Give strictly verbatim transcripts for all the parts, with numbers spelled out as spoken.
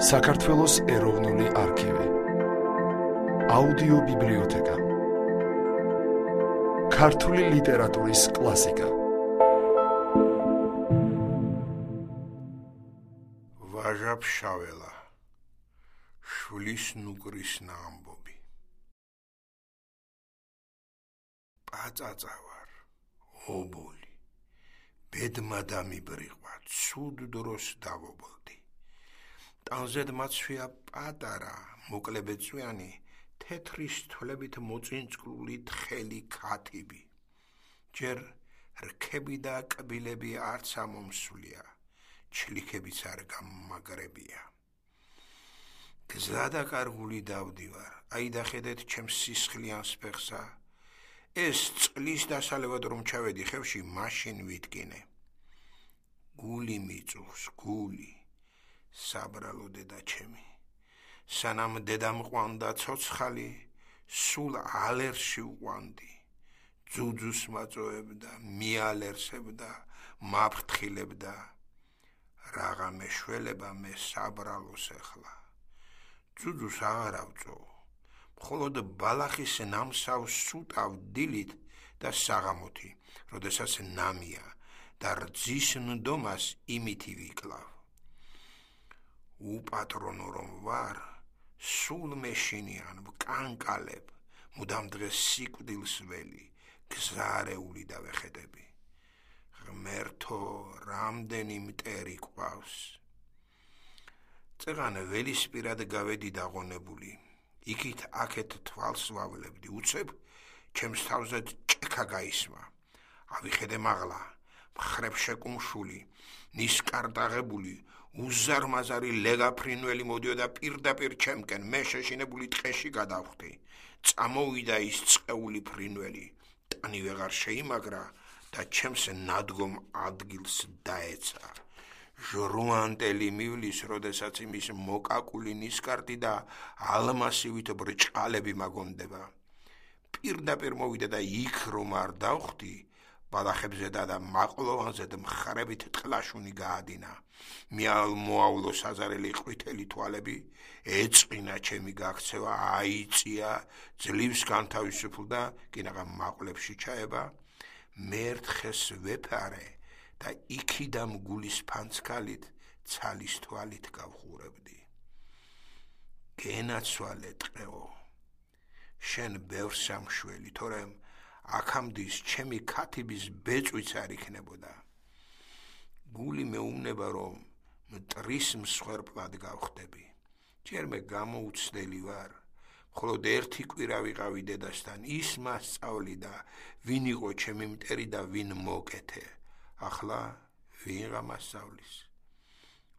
საქართველოს ეროვნული არქივი, აუდიო ბიბლიოთეკა, ქართული ლიტერატურის კლასიკა. ვაჟა ფშაველა, შვილის ნუკრის ნაამბობი. პაწაწა ვარ, ობოლი, ბედმა დამიბრიყვა, ცუდ დროს დავობლდი. ტანზედ მაცვია პატარა, მოკლებეწვიანი, თეთრი სტოლებით მოწინწკლული თხელი ქათიბი. ჯერ რქები და კბილები არც ამომსვლია, ჩლიქებიც არ გამაგრებია. გზა და კარგული დავდივარ, აი დახედეთ ჩემს სისხლიანს ფეხსა. ეს წყლის დასალევად რომ ჩავედი ხევში, მაშინ ვიტკინე. გული მიწუხს, გული. საბრალო დედა ჩემი, სანამ დედამ ყვანდა ცოცხალი, სულ ალერსში უყვანდი, ძუძუს მაწოებდა, მიალერსებდა, მაფრთხილებდა, რაღა მეშველება მე საბრალოს ახლა. ძუძუს აღარ ავწო, მხოლოდ ბალახის ნამსავს სუტავ დილით და საღამოთი, როდესაც ნამია და რძის ნდომას იმითი ვიკლავ. უპატრონო რომ ვარ, სულ მეშინიან ვკანკალებ, მუდამ დღეს სიკვდილს ველი, გზარეული დავეხედები. ღმერთო, რამდენი მტერი ყავს. წეღან ველისპირად გავედი დაღონებული, იქით აქეთ თვალს ვავლებდი, უცებ ჩემს თავზე ჭექა გაისმა. ავიხედე მაღლა, მხრებ შეკუმშული, ნისკარტაღებული, უზარმაზარი ლეგაფრინველი მოდიოდა პირდაპირ ჩემკენ, მე შეშინებული ტყეში გადავხვდი. წამოვიდა ის წყეული ფრინველი, ტანი ვეღარ შეიმაგრა და ჩემს ნადგომ ადგილს დაეცა. ჟრუანტელი მივლის, როდესაც იმის მოკაკული ნისკარტი და ალმასივით ბრჭყალები მაგონდება. პირდაპირ მოვიდა და იქ რომ არ დავხვდი, ბალახებზე და მაყლოვანზე მხრებით ტყლაშუნი გაადინა. მოავლო საზარელი ყვითელი თვალები, ეწყინა ჩემი გაქცევა, აიწია, ძლივს განთავისუფლდა, კინაღა მაყლებში ჩაება. მე ერთხეს ვეფარე და იქიდან გულის ფანცქალით, ცალის თვალით გავხურებდი. გენაცვალე ტყეო, შენ ბევრ სამშველი, თორემ აქამდის ჩემი ქათიბის ბეწვიც არ იქნებოდა. გული მეუბნება, რომ მტრის მსხვერპლად გავხდები. ჯერ მე გამოუცდელი ვარ, მხოლოდ ერთი კვირა ვიყავი დედასთან, ის მასწავლიდა, ვინ იყო ჩემი მტერი და ვინ მოკეთე. ახლა ვინღა მასწავლის.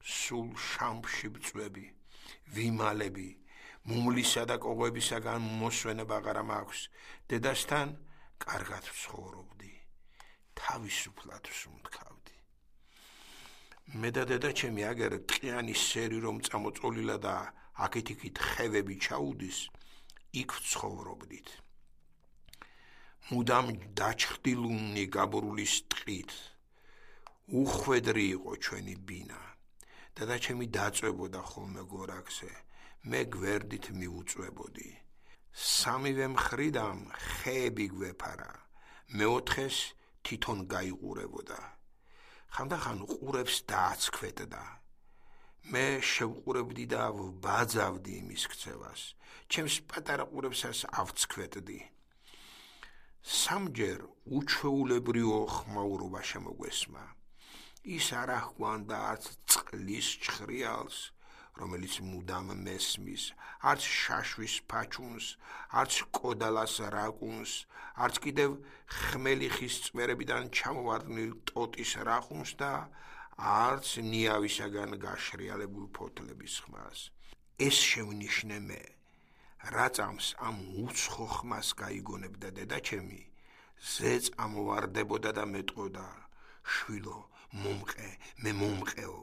სულ შამფში ვწვევი, ვიმალები, მუმლისა და კოღებისაგან მოსვენება აღარ მაქვს. დედასთან კარგად ვცხოვრობდი, თავისუფლად ვსუმთქავდი. მე და დედა ჩემი აგერ ტყიანი სერი რომ წამოწოლილა და აქეთ-იქით ხევები ჩაუდის, იქ ვცხოვრობდით. მუდამ დაჩხდილუნი გაბრულის ტყით. უხვედრი იყო ჩვენი ბინა. დედა ჩემი დაწვებოდა ხოლმე გორაკზე, მე გვერდით მივუწვებოდი. სამივე მხრიდან ხეები გვეფარა, მეოთხეს თვითონ გაიყურებოდა. ხანდახან ყურებს დააცქვეტდა. მე შევყურებდი და ვბაძავდი იმის ქცევას, ჩემს პატარა ყურებსაც ავცქვეტდი. სამჯერ უჩვეულებრივ ხმაურობა შემოგვესმა. ის არ აჰგვანდა არც წყლის ჩხრიალს, რომელიც მუდამ მესმის, არც შაშვის ფაჩუნს, არც კოდალას რაკუნს, არც კიდევ ხმელი ხის წვერებიდან ჩამოვარდნილ ტოტის რახუნს და არც ნიავისაგან გაშრიალებულ ფოთლების ხმას. ეს შევნიშნე მე, რაწამს ამ უცხო ხმას გაიგონებდა დედა ჩემი, ზე წამოვარდებოდა და მეტყოდა, შვილო, მომყე, მე მომყეო.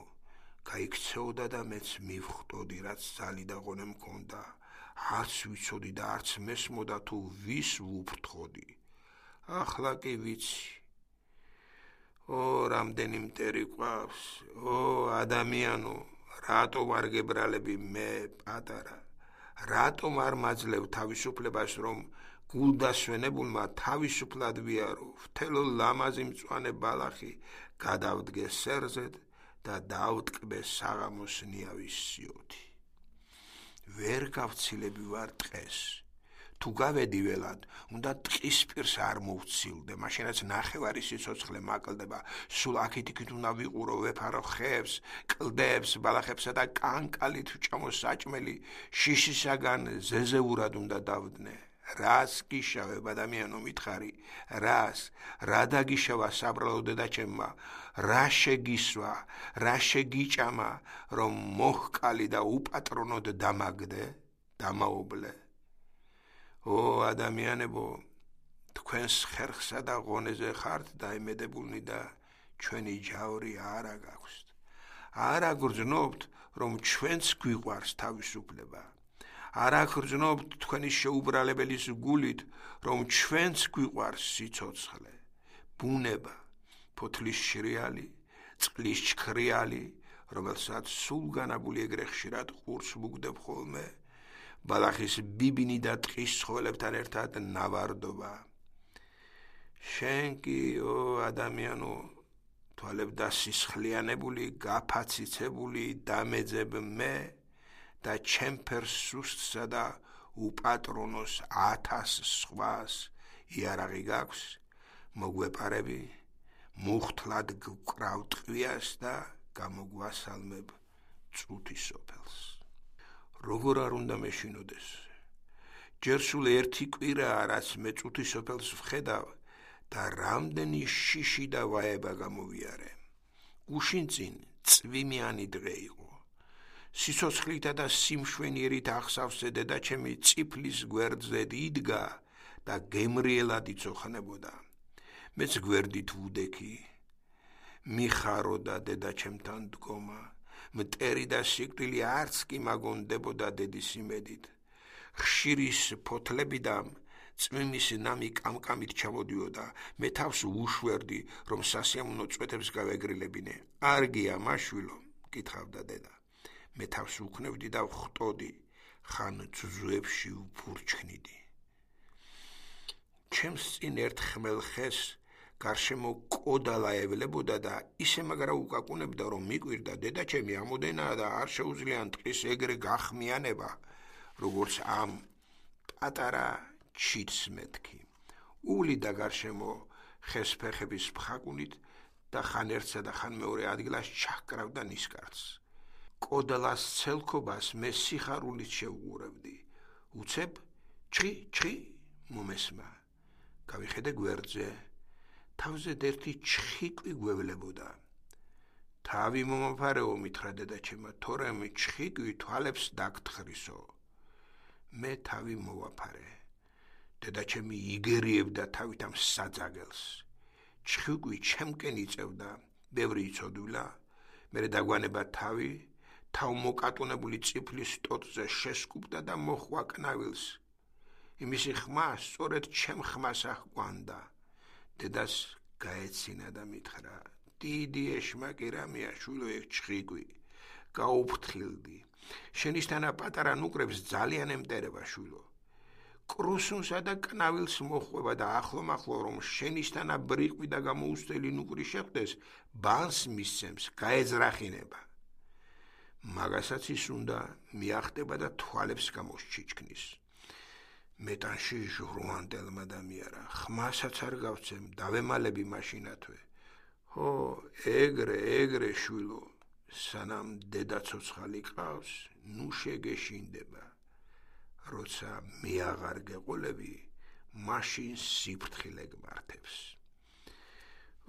გაიქცეოდა და მეც მივხვდოდი, რაც ზალი და ღონე მქონდა. არც ვიცოდი და არც მესმოდა თუ ვის ვუფრთხოდი. ახლა კი ვიცი. ო, რამდენი მტერი ყავს, ო, ადამიანო, რატომ არ გებრალები მე პატარა? რატომ არ მაძლევ თავისუფლებას, რომ გულდასვენებულმა თავისუფლად ვიარო? მთელო ლამაზი მწვანე ბალახი გადავდგე სერზედ და დავტკბე საღამოს ნიავის სიოთი. ვერ გავცილები ვარ ტყეს. თუ გავედი ველად, უნდა ტყის პირს არ მოვცილდე, მაშინაც ნახევარი სიცოცხლე მაკლდება. სულ აქეთ-იქით უნდა ვიყურო, ვეფარო ხეებს, კლდეებს, ბალახებსა და კანკალით ვჭამო საჭმელი, შიშისაგან ზეზეურად უნდა დავდნე. რას გიშავებ ადამიანო მითხარი? რას? რა დაგიშავა საბრალო დედაჩემმა? რა შეგისვა? რა შეგიჭამა, რომ მოჰკალი და უპატრონოდ დამაგდე, დამაობლე? ო ადამიანებო, თქვენს ხერხსა და ღონეზე ხართ დაიმედებულნი და ჩვენი ჯავრი არა გაქვთ. არ აგრძნობთ, რომ ჩვენც გვიყვარს თავისუფლება. არ აგრძნობთ თქვენი შეუბრალებელის გულით, რომ ჩვენც გვიყვარს სიცოცხლე, ბუნება, ფოთლის შრიალი, წყლის ჩქრიალი, რომელსაც სულ განაბული ეგრე ხშირად ყურს მუგდებ ხოლმე, ბალახის ბიბინი და ტყის ცხოველებთან ერთად ნავარდობა. შენ კი, ო ადამიანო, თვალებ დასისხლიანებული, გაფაციცებული დამეძებ მე და ჩემფერს სუსტსა და უპატრონოს ათას სხვას იარაღი გაქვს, მოგვეპარები, მუხთლად გვკრავ ტყვიას და გამოგვასალმებ წუთი სოფელს. როგორ არ უნდა მეშინოდეს? ჯერ სულ ერთი კვირაა, რაც მე წუთი სოფელს ვხედავ და რამდენი შიში და ვაება გამოვიარე. გუშინ წინ წვიმიანი დღე იყო. სიცოცხლითა და სიმშვენიერით ახსავსე დედაჩემი წიფლის გვერდზე იდგა და გემრიელად იცოხნებოდა. მეც გვერდით ვუდექი. მიხარო და დედაჩემთან დგომა. მტერი და სიკვდილი არც კი მაგონდებოდა დედის იმედით. ხშირის ფოთლებიდან წვიმის ნამი კამკამით ჩამოდიოდა. მე თავს ვუშვერდი, რომ სასიამოვნო წვეთებს გავეგრილებინე. არ გია მაშვილო, კითხავდა დედა. მე თავს უქნევდი და ვხტოდი, ხან ძუძუებში ვფურჩქნიდი. ჩემს წინ ერთ ხმელ ხეს გარშემო კოდალა ევლებოდა და ისე მაგრა უკაკუნებდა, რომ მიკვირდა დედაჩემი ამოდენაა და არ შეუძლია ტყის ეგრე გახმიანება, როგორც ამ პატარა ჩიტს მეთქი. უვლიდა გარშემო ხეს ფეხების ფხაკუნით და ხან ერთსა და ხან მეორე ადგილას ჩაჰკრავდა ნისკარტს. კოდალას ცელქობას მე სიხარულით შევუყურებდი. უცებ ჩხი ჩხი მომესმა. გავიხედე გვერდზე. თავზე ერთი ჩხიკვი გვევლებოდა. თავი მომაფარეო, მითხრა დედაჩემა, თორემ ჩხიკვი თვალებს დაგთხრისო. მე თავი მოვაფარე. დედაჩემი იგერიებდა თავით ამ საძაგელს. ჩხიკვი ჩემკენ იწევდა, ბევრი იცოდვილა. მერე დაგვანება თავი, თავმოკატუნებული წიფლის ტოტზე შესკუპდა და მოხვა კნავილს. იმისი ხმა სწორედ ჩემ ხმას აჰკვანდა. დედას გაეცინა და მითხრა, დიდი ეშმაკი რამეა შვილო ეგ ჩხიკვი. გაუფრთხილდი. შენიშნანა პატარა ნუკრებს ძალიან ემტერება შვილო. კრუსუნსა და კნავილს მოხვება და ახლომახლო რომ შენიშნანა ბრიყვი და გამოუსწელი ნუკრი შეხვდეს, ბანს მისცემს, გაეძრახინება. მაგასაც ის უნდა მიახტება და თვალებს გამოსჩიჩქნის. მეტანში ჟურვანტელმა და მიარა, ხმასაც არ გავცემ, დავემალები მაშინათვე. ჰო, ეგრე, ეგრე შვილო, სანამ დედა ცოცხალი ყავს, ნუ შეგეშინდება. როცა მე აღარ გეყოლები, მაშინ სიფრთხილე გმართებს.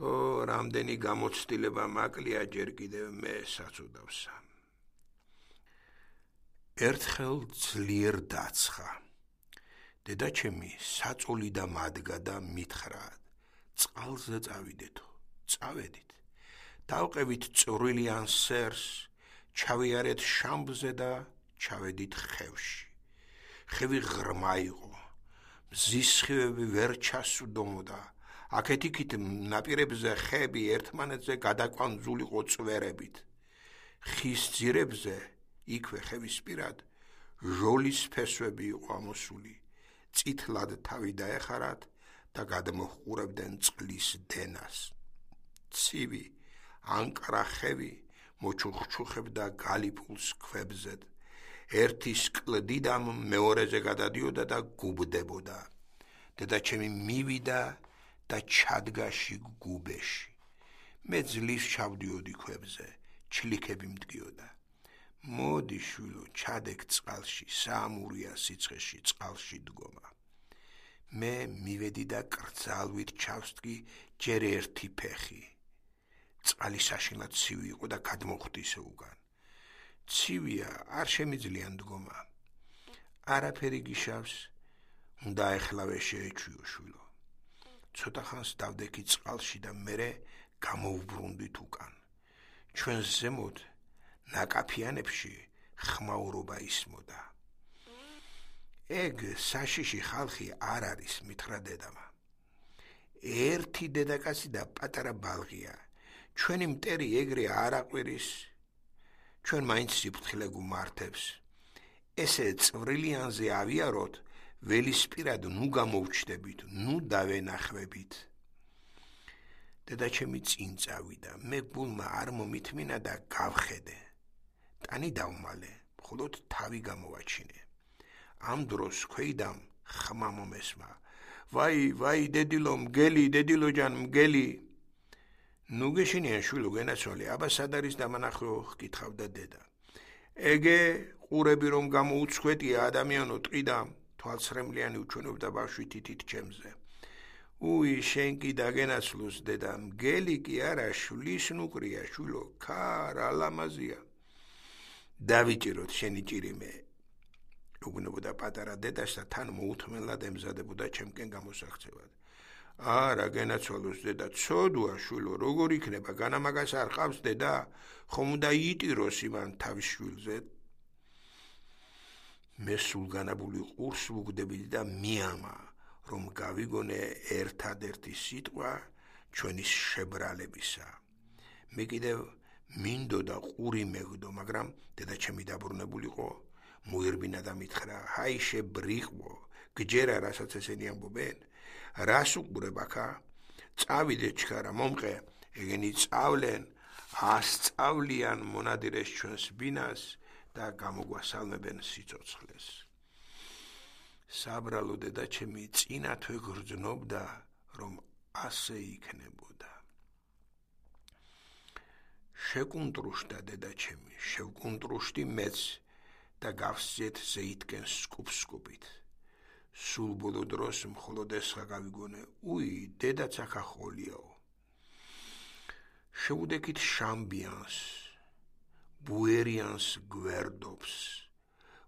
ო, რამდენი გამოცდილება მაკლია ჯერ კიდევ მე საწუდავსა. ერთხელ ძლიერ დაცხა. დედაჩემი საწოლი და მადგა და მითხრა, წყალზე წავიდეთო, წავედით. დავყევით წვრილიან სერს, ჩავიარეთ შამბზე და ჩავედით ხევში. ხევი ღრმა იყო, მზის სხივები ვერ ჩასვდომოდა, აქეთ-იქით ნაპირებზე ხეები ერთმანეთზე გადაკვანძულიყო წვერებით. ხის ძირებზე იქვე ხევისპირად ჟოლის ფესვები იყო ამოსული, წითლად თავი დაეხარათ და გადმოჰყურებდნენ წყლის დენას. ცივი ანკარა ხევი მოჩუხჩუხებდა გალიფულს ქვებზე. ერთის კლდიდამ მეორეზე გადადიოდა და გუბდებოდა. დედაჩემი მივიდა და ჩადგაში გუბეში. მე ძლივს ჩავდიოდი ქვებზე, ჩლიქები მდგიოდა. მოდი შვილო, ჩადეკ წყალში, საამურია სიცხეში წყალში დგომა. მე მივედი და კრძალვით ჩავსტგი ჯერ ერთი ფეხი. წყალი საშინლად ცივი იყო და გადმოხვდი ისე უგან. ცივია, არ შემიძლია დგომა. არაფერი გიშავს, უნდა ეხლავე შეეჩვიო შვილო. ცოტა ხანს დავდექი წყალში და მერე გამოვბრუნდით უკან. ჩვენს ზემოთ ნაკაფიანებში ხმაურობა ისმოდა. ეგ საშიში ხალხი არ არის, მითხრა დედამა. ერთი დედაკაცი და პატარა ბალღია. ჩვენი მტერი ეგრე არ აყვირის. ჩვენ მაინც სიფრთხილე გუმართებს. ესე წვრილიანზე ავიაროთ, ველისპირად ნუ გამოვჩდებით, ნუ დავენახვებით. დედაჩემი წინ წავიდა, მე გულმა არ მომითმინა და გავხედე. ტანი დავმალე, მხოლოდ თავი გამოვაჩინე. ამ დროს ქვეიდამ ხმა მომესმა. ვაი, ვაი, დედილო, მგელი, დედილოჯან, მგელი. ნუ გეშინიან შვილო გენაცვალე, აბა სად არის დამანახვეო, ჰკითხავდა დედა. ეგე ყურები რომ გამოუცხვეტია ადამიანო ტყიდამ, თვალსრემლიანი უჩვენებდა ბავშვი თითით ჩემზე. უი, შენ კი დაგენაცვლოს დედა, მგელი კი არა, შვლის ნუკრია შვილო, ქარა ლამაზია. დავიჭიროთ შენი ჭირიმე. უგნებოდა პატარა დედას და თან მოუთმენლად ემზადებოდა ჩემკენ გამოსახცევად. არა, გენაცვალოს დედა, ცოდვა შვილო, როგორ იქნება, განამაგას არ ყავს დედა, ხომ უნდა იიტიროს იმან თავის შვილზე. მე სულგანებული ყურს ვუგდებიდი და მიამა, რომ გავიგონე ერთადერთი სიტყვა ჩვენი შებრალებისა. მე კიდევ მინდოდა ყური მეგდო, მაგრამ დედაჩემი დაბრუნებულიყო, მოირბინა და მითხრა, ჰაი შებრიყვო, გჯერა რასაც ესენი ამბობენ, რას უყურებ აქა? წავიდე ჩქარა, მომყე, ეგენი წავლენ, ასწავლიან მონადირეს ჩვენს ბინას და გამოგვასალმებენ სიცოცხლეს. საბრალო დედაჩემი წინათვე გრძნობდა, რომ ასე იქნებოდა. შეკუნტრუშდა დედაჩემი, შევკუნტრუშდი მეც და გავსძეთ ზეითკენ სკუპ-სკუპით. სულ ბოლო დროს მხოლოდ ესხა გავიგონე, უი, დედაც აქ ახოლიაო. შევუდექით შამბიანს, ბუერიანს გვერდობს.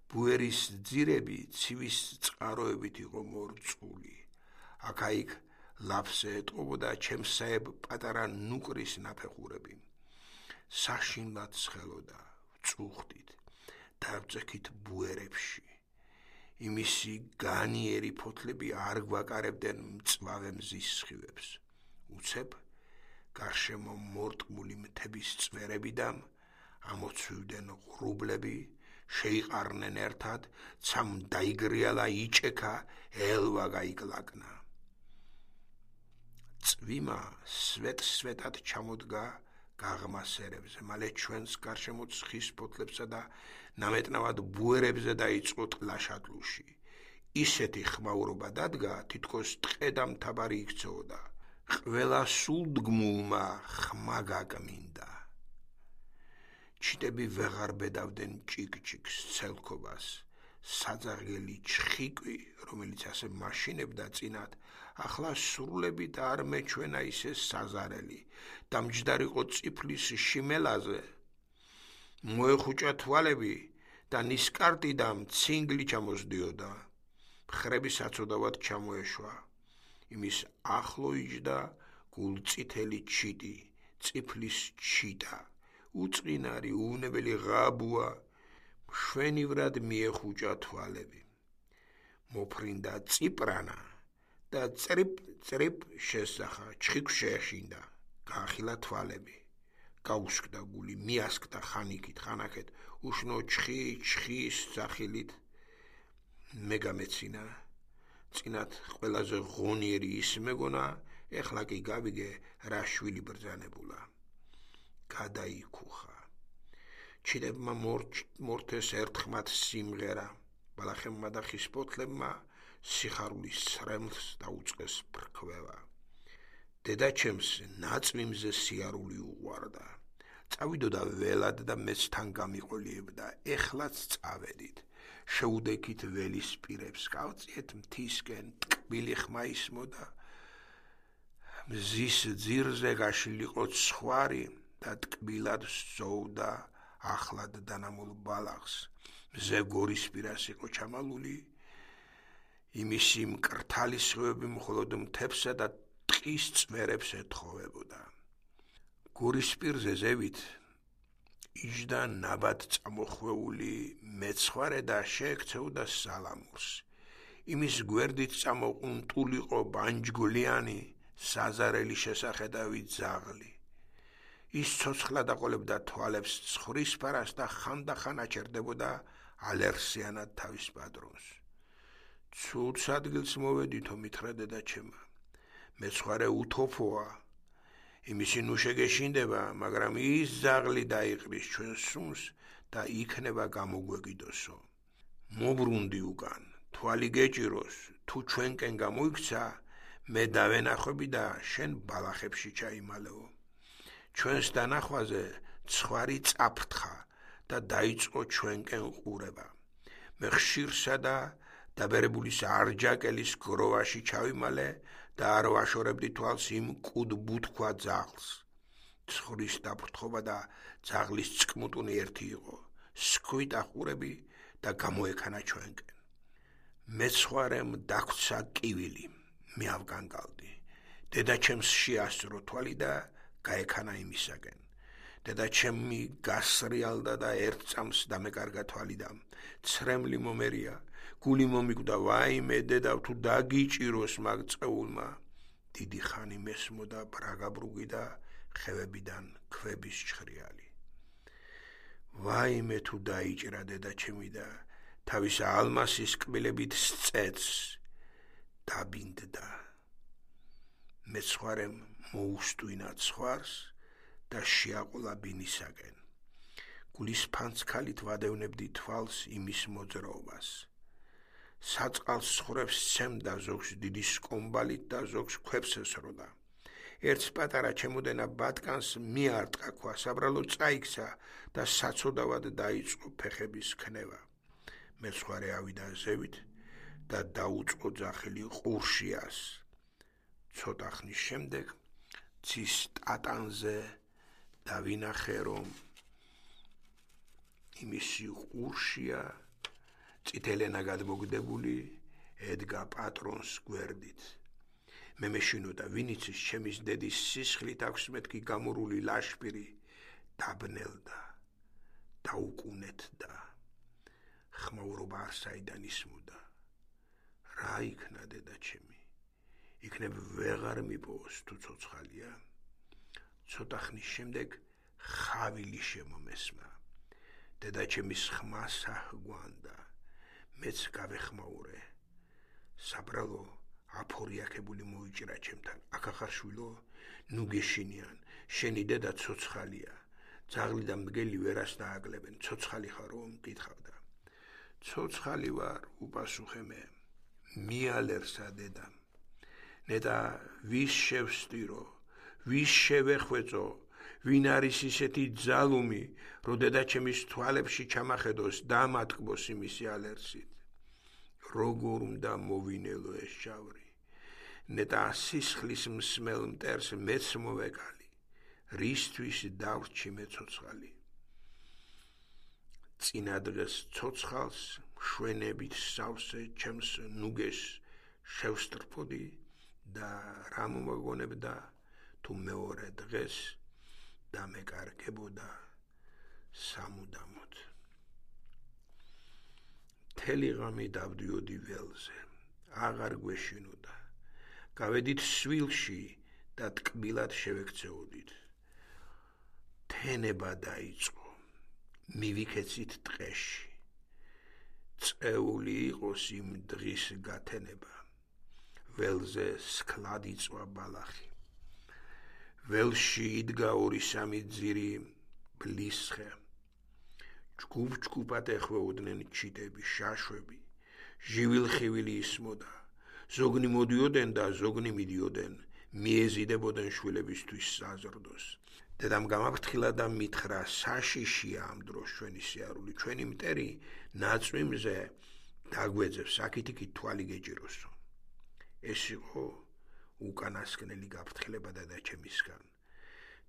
ბუერის ძირები ცივის წყაროებით იყო მორწყული. აქა-იქ ლაფზე ეტყობოდა ჩემსაებ პატარა ნუკრის ნაფეხურები. საშინლად ცხელოდა, ვწუხდით, დავწექით ბუერებში. იმისი განიერი ფოთლები არ გვაკარებდნენ მწვავე მზის სხივებს. უცებ გარშემო მორტმული მთების წვერებიდან ამოცვივდნენ ღრუბლები, შეიყარნენ ერთად, ცამ დაიგრიალა იჭექა, ელვა გაიკლაკნა. წვიმა სვეტ-სვეტად ჩამოდგა გაღმა სერებზე, მალე ჩვენს გარშემო ცხის ფოთლებსა და ნამეტნავად ბუერებზე დაიწყო ტლაშატლუში. ისეთი ხმაურობა დადგა, თითქოს ტყე და მთაბარი იქცეოდა. ყველა სულდგმულმა ხმა გაკმინდა. ჩიტები ვეღარ ბედავდნენ ჭიკ-ჭიკს, ცელქობას. საძაღლი ჩხიკვი, რომელიც ასე მაშინებდა წინათ, ახლა სრულებით არ მეჩვენა ისე საზარელი. დამჯდარიყო წიფლის შიმელაზე. მოეხუჭა თვალები და ნისკარტი და მცინგლი ჩამოსდიოდა. მხრები საცოდავად ჩამოეშვა. იმის ახლო იჯდა გულწითელი ჩიტი, წიფლის ჩიტა, უწყინარი, უვნებელი ღაბუა, მშვენივრად მიეხუჭა თვალები. მოფრინდა წიპრანა და წრიპ-წრიპ შესახა, ჩხიქვ შეეშინდა, გაახილა თვალები. გაუსკდა გული, მიასკდა ხანიკით, ხანაკეთ, უშნო ჩხი, ჩხის სახილით მე გამეცინა. წინათ ყველაზე ღონიერი ის მეგონა, ეხლა კი გავიგე რა შვილი ბრძანებულა. გადაიქუხა. ჩინებმა მორთეს ერთხმად სიმღერა, ბალახებმა და ხისპოთლებმა სიხარულის სრემლს დაუწყეს ფრქვევა. დედაჩემს ნაწვიმზე სიარული უყვარდა. წავიდოდა ველად და მეც თან გამიყოლიებდა, ეხლაც წავედით. შეუდექით ველის პირებს, გავწიეთ მთისკენ, ტკბილი ხმა ისმოდა. მზის ძირზე გაშლილიყო ცხვარი და ტკბილად სწოვდა ახლად დანამულ ბალახს. მზე გორისპირას იყო ჩამალული, იმისი მკრთალი სხივები მხოლოდ მთებსა და ტყის წვერებს ეთხოვებოდა. გორისპირზე ზევით იჯდა ნაბად წამოხვეული მეცხვარე და შეექცეოდა სალამურს. იმის გვერდით წამოყუნტულიყო ბანჯგვლიანი საზარელი შესახედავი ძაღლი. ის ცოცხლად აყოლებდა თვალებს ცხრის ფარას და ხანდახან აჩერდებოდა ალერსიანად თავის პატრონს. ცუდ ადგილს მოვედითო, მითხრა დედაჩემა. მეცხვარე უთოფოა, იმისი ნუ შეგეშინდება, მაგრამ ის ძაღლი დაიყრის ჩვენ სუნს და იქნება გამოგვეკიდოსო. მობრუნდი უკან, თვალი გეჭიროს, თუ ჩვენკენ გამოიქცა, მე დავენახვები და შენ ბალახებში ჩაიმალეო. ჩვენს დანახვაზე ცხვარი წაფრთხა და დაიწყო ჩვენკენ ყურება. მე ხშირსა და დაბერებულის არჯაკელის გროვაში ჩავიმალე და არ ვაშორებდი თვალს იმ კუდ ბუთქვა ძაღლს. ცხრის დაფრთხობა და ძაღლის წკმუტუნი ერთი იყო, სქვით ახურები და გამოექანა ჩვენკენ. მეცხვარემ დაგვცა კივილი, მე ავგანგალდი. დედაჩემს შეასწრო თვალი და გაექანა იმისაკენ. დედაჩემი გასრიალდა და ერთ წამს დამეკარგა თვალი და ცრემლი მომერია. გული მომიკვდა, ვაიმე დედა, თუ დაგიჭიროს მაგ წეულმა. დიდი ხანი მესმოდა ბრაგაბრუგი და ხევებიდან ქვების ჩხრიალი. ვაიმე თუ დაიჭრა დედაჩემი და თავის ალმასის კბილებით სწეთს დაბინდდა. მეცხვარემ მოუსტვინა ცხვარს და შეაყოლა ბინისაკენ. გულის ფანცქალით ვადევნებდი თვალს იმის მოძრაობას. საწყალს ცხვრებს სცემდა, ზოგს დიდი სკომბალით და ზოგს ქვებს ესროდა. ერთს პატარა ჩემოდენა ბატკანს მიარტყა ქვა, საბრალო წაიქცა და საცოდავად დაიწყო ფეხების ქნება. მეცხვარე ავიდა ზევით და დაუწყო ძახილი ყურშიას. ცოტა ხნის შემდეგ ცის ტატანზე დავინახე, რომ იმისი ყურშია წითელენა გადმოგდებული ედგა პატრონს გვერდით. მე მეშინოდა, ვინიცის ჩემის დედის სისხლით აქვს მეთქი გამორული ლაშპირი დაბნელდა, დაუკუნეთდა. ხმაურობა არ საიდან ისმოდა. რა იქნა დედაჩემი? იქნებ ვეღარ მიპოვოს თუ ცოცხალია. ცოტა ხნის შემდეგ ხავილი შემომესმა. დედაჩემის ხმა საჰგვანდა. მეც გავეხმაურე. საბრალო აფორიაქებული მოიჭრა ჩემთან. აქახარ შვილო, ნუ გეშინიან, შენი დედა ცოცხალია. ძაღლი და მგელი ვერას დააკლებენ. ცოცხალი ხარო? მკითხავდა. ცოცხალი ვარ, უპასუხე მე. მიალერსა დედა. ნეტა ვის შევსტირო, ვის შევეხვეწო, ვინ არის ისეთი ძალუმი, რომ დედაჩემის თვალებში ჩამახედოს და ამატკბოს იმისი ალერსით. როგორ უნდა მოვინელო ეს შავრი? ნეტა სისხლის მსმელ მტერს მეც მოვეკალი, რისთვის დავრჩი მე ცოცხალი. წინა დღეს ცოცხალს შვენებით სავსე ჩემს ნუგეს შევსტრფოდი და რა მომაგონებდა, თუ მეორე დღეს დამეკარგებოდა სამუდამოდ. მთელი ღამე დავდიოდი ველზე, აღარ გვეშინოდა. გავედით სვილში და ტკბილად შევექცეოდით. თენება დაიწყო, მივიქეცით ტყეში. წეული იყოს იმ დღის გათენება, ველზე სქლად იწვა ბალახი. ველში იდგა ორი სამი ძირი ბლისხე. ჯგუფ-ჯგუფად ეხვეოდნენ ჩიტები, შაშვები, ჟივილ-ხივილი ისმოდა. ზოგნი მოდიოდნენ და ზოგნი მიდიოდნენ, მიეზიდებოდნენ შვილებისთვის საზრდოს. დედამ გამაფრთხილა და მითხრა, საშიშია ამ დროს ჩვენი სიარული, ჩვენი მტერი ნაწვიმზე დაგვეძებს, აქით-იქით თვალი გეჭიროსო. ეს იყო უკანასკნელი გაფრთხილება დედაჩემისგან.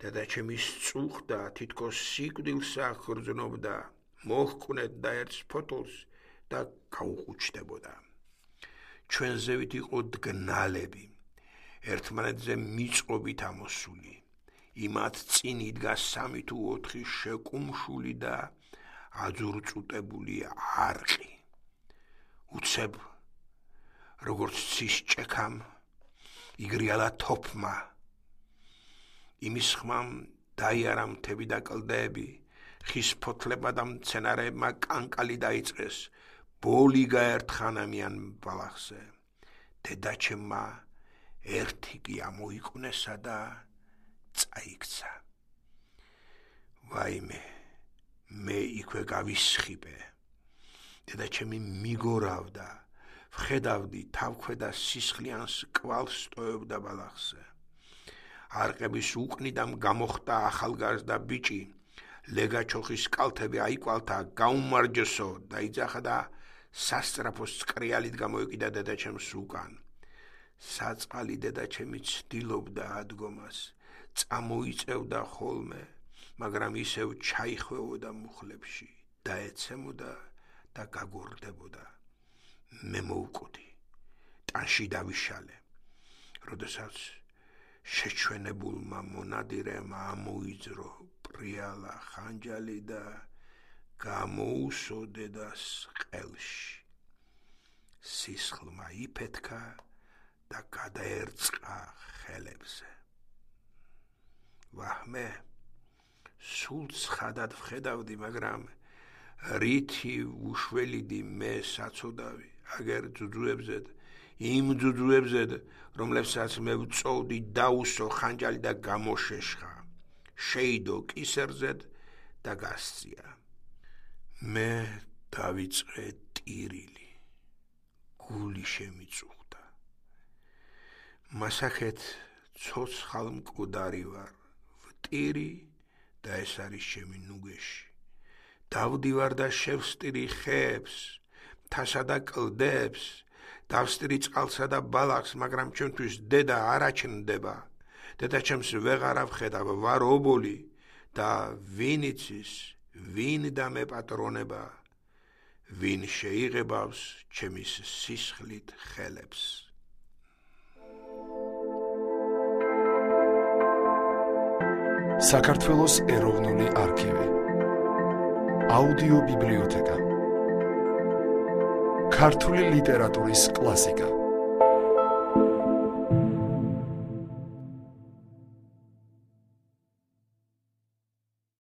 დედაჩემი სწუხდა, თითქოს სიკვდილს აღგრძნობდა, მოჰკვნეთ და ერთს ფოთოლს და გაუყუჩდებოდა. ჩვენზე ვით იყო დგნალები, ერთმანეთზე მიწყობით ამოსული. იმათ წინ იდგა სამი თუ ოთხი შეკუმშული და აძურწუტებული არყი. უცებ, როგორც ცის ჭექამ, იგრიალა თოფმა. იმის ხმამ დაიარა მთები და კლდეები, ხის ფოთლებმა და მცენარეებმა კანკალი დაიწყეს, ბოლი გაერთხანამიან ბალახზე. დედაჩემმა ერთი კი ამოიკვნესა და წაიქცა. ვაიმე, მე იქვე გავისხიპე. დედაჩემი მიგორავდა, ვხედავდი თავქვედა სისხლიანს კვალს ტოვებდა ბალახზე. არყების უკნიდან გამოხდა ახალგაზრდა ბიჭი, ლეგაჩოხის კალთები აიკვალთა, გაუმარჯოსო დაიძახა და სასწრაფოს წკრიალით გამოეკიდა დედაჩემს უკან. საწყალი დედაჩემი ცდილობდა ადგომას, წამოიწევდა ხოლმე, მაგრამ ისევ ჩაიხვეოდა მუხლებში, დაეცემოდა და გაგორდებოდა. მე მოვკვდი, ტანში დავიშალე. როდესაც შეჩვენებულმა მონადირემ ამოიძრო პრიალა ხანჯალი და გამოუსო დედას ყელში. სისხლმა იფეთქა და გადაერწყა ხელებზე. ვაჰმე, სულ ცხადად ვხედავდი, მაგრამ რითი უშველიდი მე საცოდავი, აგერ ძუძუებზედ, იმ ძუძუებზედ, რომლებსაც მე ვწოვდი დაუსო ხანჯალი და გამოშეშხა, შეიდო კისერზედ და გასწია. მე დავიწყე ტირილი, გული შემიწუხდა. მასახეთ ცოცხალ მკვდარი ვარ, ვტირი და ეს არის ჩემი ნუგეში. დავდივარ და შევსტირი ხეებს, მთასა და კლდეებს, დავსტირი წყალსა და ბალახს, მაგრამ ჩემთვის დედა არ აჩნდება. დედაჩემს ვეღარ ავხედავ, ვარ ობოლი და ვინ იცის, ვინ დამეპატრონება, ვინ შეიღებავს ჩემის სისხლით ხელებს. საქართველოს ეროვნული არქივი. აუდიო ბიბლიოთეკა. ქართული ლიტერატურის კლასიკა.